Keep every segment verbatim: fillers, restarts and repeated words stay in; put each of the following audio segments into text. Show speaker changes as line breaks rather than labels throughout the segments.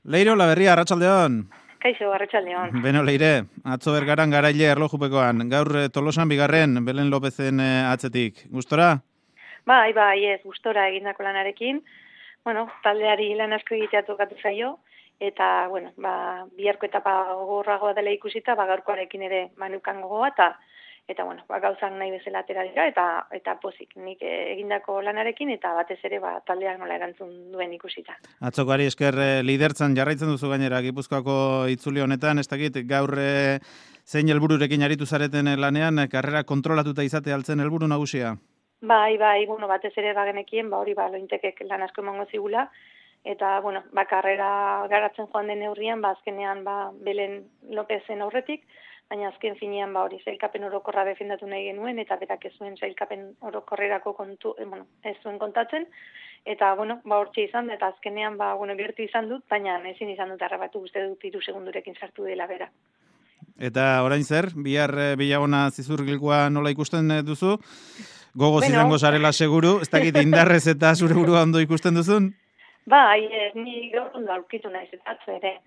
Leiro Laberria, arratsaldeon.
Kaixo, arratsaldeon.
Beno, Leire, atzo bergaran garaile erlojupekoan, gaur Tolosan bigarren, Belen Lopezen atzetik. Gustora?
Bai, bai, ez, gustora egindako lanarekin. Bueno, taldeari lan asko egitea tokatu zaio, eta, bueno, ba, biharko etapa gogorragoa dela ikusita, ba, gaurkoarekin ere manukan gogoa, eta, eta, bueno, ba, gauzak nahi bezala atera dira, eta, eta pozik, nik egindako lanarekin, eta batez ere, ba, taldeak nola erantzun duen ikusita.
Atzokoari esker lidertzan jarraitzen duzu gainera, Gipuzkoako itzuli honetan, ez dakit, gaur e, zein helbururekin aritu zareten lanean, karrera kontrolatuta izate altzen helburu nagusia?
Bai, bai, bueno, batez ere bagenekien, ba hori ba lointekek lan asko emango zigula, eta, bueno, ba, karrera garatzen joan den neurrian, ba, azkenean, ba, Belen Lopezen aurretik, baina azken finean, ba, hori sailkapen orokorra defendatu nahi genuen, eta berak ez zuen sailkapen orokorrerako kontu, eh, bueno, ez zuen kontatzen, eta, bueno, ba, hortxe izan, eta azkenean, ba, bueno, gertu izan dut, baina ezin izan dut arrabatu, uste dut hiru segundurekin sartu dela bera.
Eta orain zer, bihar bilagona zizurgilkoa nola ikusten duzu? Gogoz
Bueno,
izango zarela seguru, ez dakit indarrez eta zure burua ondo ikusten duzun?
Bai, ez, ni gaur ondo aurkitu naiz eta atzo ere.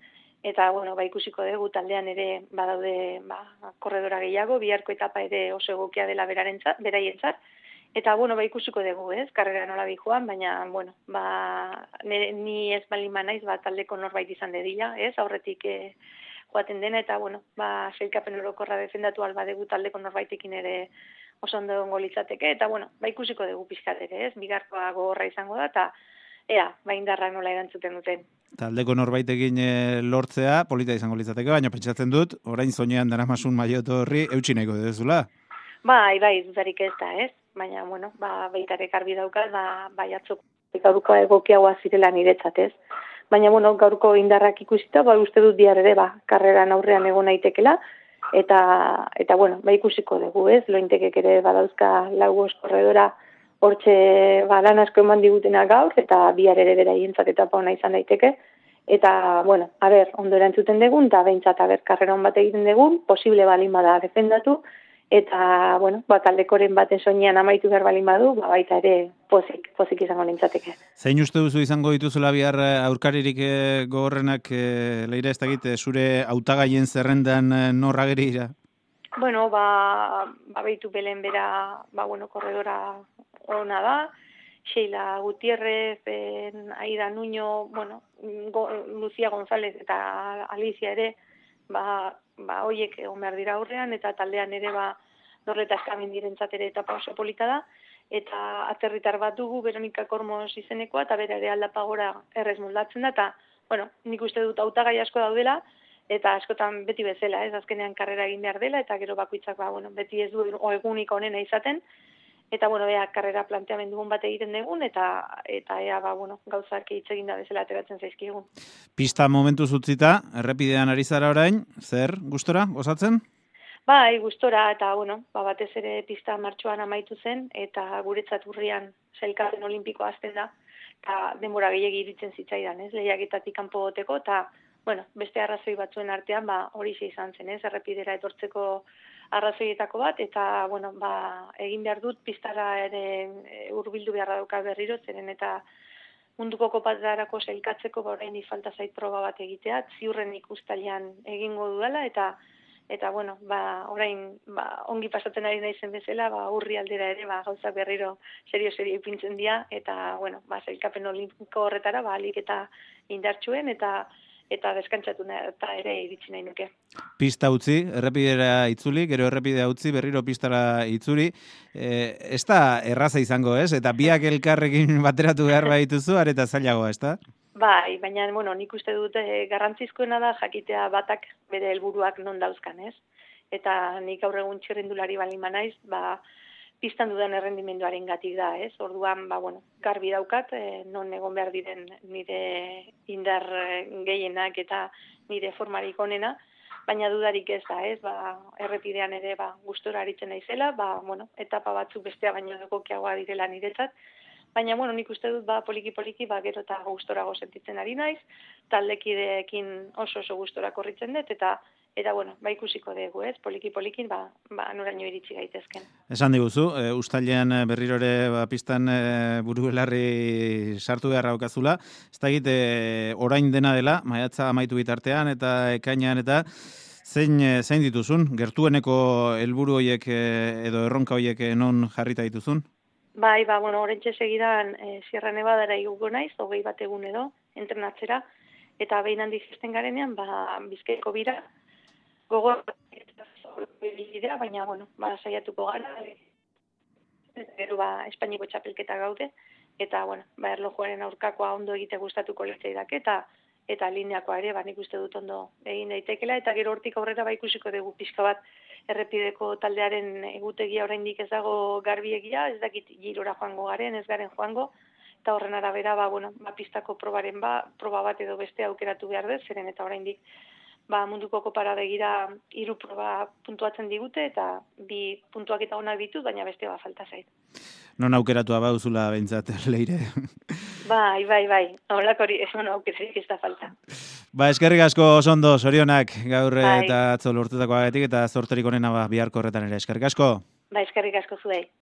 Eta, bueno, ba, ikusiko dugu taldean ere badaude ba, korredora gehiago, biharko etapa ere oso egokia dela berarentzat, beraientzat. Eta, bueno, ba, ikusiko dugu, ez, karrera nola joan, baina, bueno, ba, nire, ni ez balin naiz, ba, taldeko norbait izan dedila, ez, aurretik e, joaten dena, eta, bueno, ba, sailkapen orokorra defendatu alba dugu taldeko norbaitekin ere oso ondo egongo litzateke, eta, bueno, ba, ikusiko dugu pixkat ere, ez, bigarkoa gogorra izango da, eta, ea, ba, indarra nola erantzuten duten.
Taldeko norbaitekin e, lortzea, polita izango litzateke, baina pentsatzen dut, orain zoinean daramasun maioto horri, eutsi nahiko dezula.
Bai, bai, dudarik ez da, ez? Baina, bueno, ba, beitarek argi daukat, ba, bai atzoko gaurko egokiagoa zirela niretzat, ez? Baina, bueno, gaurko indarrak ikusita, ba, uste dut bihar ere, ba, karreran aurrean egon naitekela, eta, eta bueno, ba, ikusiko dugu, ez? Lointekek ere badauzka lau korredora hortxe ba, lan asko eman digutena gaur, eta bihar ere beraientzat etapa ona izan daiteke. Eta, bueno, a ber, ondo erantzuten dugun, eta behintzat, a ber, karrera hon bat egiten dugun, posible balin bada defendatu, eta, bueno, ba, taldekoren baten soinean amaitu behar balin badu, ba, baita ere pozik, pozik izango nintzateke.
Zein uste duzu izango dituzula bihar aurkaririk gogorrenak, e, Leire, ez dakit, zure hautagaien zerrendan norra gerira?
Bueno, ba, ba behitu Belen bera, ba, bueno, korredora ona da, Sheila Gutierrez, en, Aida Nuño, bueno, go, Lucia González eta Alicia ere, ba, ba hoiek egon behar dira aurrean, eta taldean ere, ba, Dorreta Eskamindirentzat ere etapa oso polita da, eta aterritar bat dugu, Veronika Kormos izenekoa, eta bera ere aldapagora errez moldatzen da, eta, bueno, nik uste dut hautagai asko daudela, eta askotan beti bezala, ez, azkenean karrera egin behar dela, eta gero bakoitzak, ba, bueno, beti ez du egunik onena izaten, eta, bueno, ea, karrera planteamendugun bat egiten dugun, eta, eta ea, ba, bueno, gauzak hitz egin da bezala ateratzen zaizkigun.
Pista momentu zutzita, errepidean ari zara orain, zer, gustora, gozatzen?
Bai, gustora, eta, bueno, ba, batez ere pista martxoan amaitu zen, eta guretzat urrian sailkapen olimpikoa azten da, eta denbora gehiegi iritzen zitzaidan, ez, lehiaketatik kanpo goteko, eta, bueno, beste arrazoi batzuen artean, ba, hori izan zen, ez, errepidera etortzeko arrazoietako bat, eta, bueno, ba, egin behar dut, pistara ere hurbildu beharra dauka berriro, zeren eta munduko kopatarako sailkatzeko, ba, orain falta zait proba bat egitea, ziurren ikustalian egingo dudala, eta, eta, bueno, ba, orain, ba, ongi pasatzen ari naizen bezala, ba, urri aldera ere, ba, gauzak berriro serio-serio ipintzen dira, eta, bueno, ba, sailkapen olimpiko horretara, ba, alik eta indartsuen, eta, eta deskantzatu eta ere iritsi nahi nuke.
Pista utzi, errepidera itzuli, gero errepidea utzi, berriro pistara itzuli. E, ez da erraza izango, ez? Eta biak elkarrekin bateratu behar baituzu, areta zailagoa, ez da?
Bai, baina, bueno, nik uste dute garrantzizkoena da jakitea batak bere helburuak non dauzkan, ez? Eta nik gaur egun txirrindulari balin naiz, ba, pistan dudan errendimenduaren gatik da, ez? Orduan, ba, bueno, garbi daukat, eh, non egon behar diren nire indar gehienak eta nire formarik onena, baina dudarik ez da, ez? Ba, errepidean ere, ba, gustora aritzen naizela, ba, bueno, etapa batzuk bestea baino egokiagoa direla niretzat, baina, bueno, nik uste dut, ba, poliki-poliki, ba, gero eta gustorago sentitzen ari naiz, taldekideekin oso oso gustora korritzen dut, eta eta bueno, ba ikusiko dugu, ez? Poliki polikin ba ba noraino iritsi gaitezken.
Esan diguzu, e, uztailean berriro ere ba pistan e, burubelarri sartu beharra daukazula. Ez dakit e, orain dena dela, maiatza amaitu bitartean eta ekainean eta zein zein dituzun gertueneko helburu hoiek edo erronka hoiek non jarrita dituzun?
Bai, ba bueno, oraintxe segidan e, Sierra Nevadara iguko naiz, hogei bat egun edo entrenatzera eta behin handi zesten garenean, ba Bizkaiko bira gogor bidea, baina bueno, ba saiatuko gara. Gero ba Espainiako txapelketa gaude eta bueno, ba erlojuaren aurkakoa ondo egite gustatuko litzaidake eta eta lineakoa ere, ba nik uste dut ondo egin daitekeela eta gero hortik aurrera ba ikusiko dugu pixka bat errepideko taldearen egutegia oraindik ez dago garbiegia, ez dakit girora joango garen, ez garen joango eta horren arabera ba bueno, ba pistako probaren ba, proba bat edo beste aukeratu behar dut, zeren eta oraindik ba munduko kopara begira hiru proba puntuatzen digute eta bi puntuak eta onak ditut, baina beste ba falta zait.
Non aukeratua bauzula beintzat Leire.
Bai, bai, bai. Holako hori, ez no aukerarik ez da falta.
Ba, eskerrik asko osondo, sorionak gaur
bai.
Eta atzo lortutakoagatik eta zorterik onena ba biharko horretan ere. Eskerrik asko.
Ba, eskerrik asko zuei.